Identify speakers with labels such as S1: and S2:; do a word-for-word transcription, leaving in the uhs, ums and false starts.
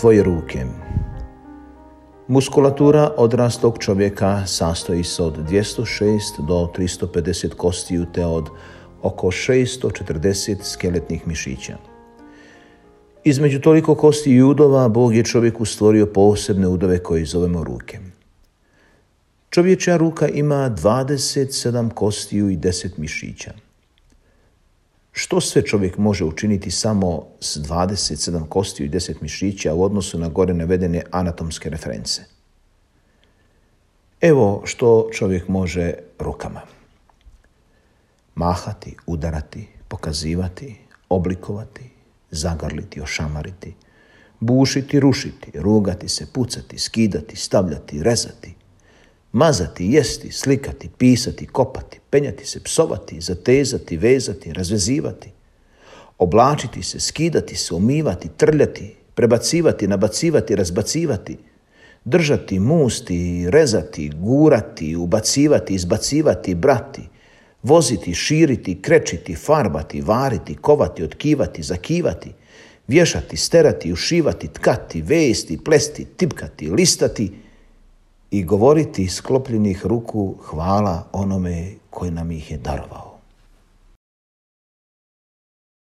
S1: tvoje ruke. Muskulatura odraslog čovjeka sastoji se od dvjesto šest do tristo pedeset kostiju te od oko šesto četrdeset skeletnih mišića. Između toliko kosti i udova Bog je čovjeku stvorio posebne udove koje zovemo ruke. Čovječja ruka ima dvadeset sedam kostiju i deset mišića. Što sve čovjek može učiniti samo s dvadeset sedam kostiju i deset mišića u odnosu na gore navedene anatomske reference? Evo što čovjek može rukama. Mahati, udarati, pokazivati, oblikovati, zagrliti, ošamariti, bušiti, rušiti, rugati se, pucati, skidati, stavljati, rezati, mazati, jesti, slikati, pisati, kopati, penjati se, psovati, zatezati, vezati, razvezivati, oblačiti se, skidati se, umivati, trljati, prebacivati, nabacivati, razbacivati, držati, musti, rezati, gurati, ubacivati, izbacivati, brati, voziti, širiti, krečiti, farbati, variti, kovati, otkivati, zakivati, vješati, sterati, ušivati, tkati, vesti, plesti, tipkati, listati i govoriti iz sklopljenih ruku hvala onome koji nam ih je darovao.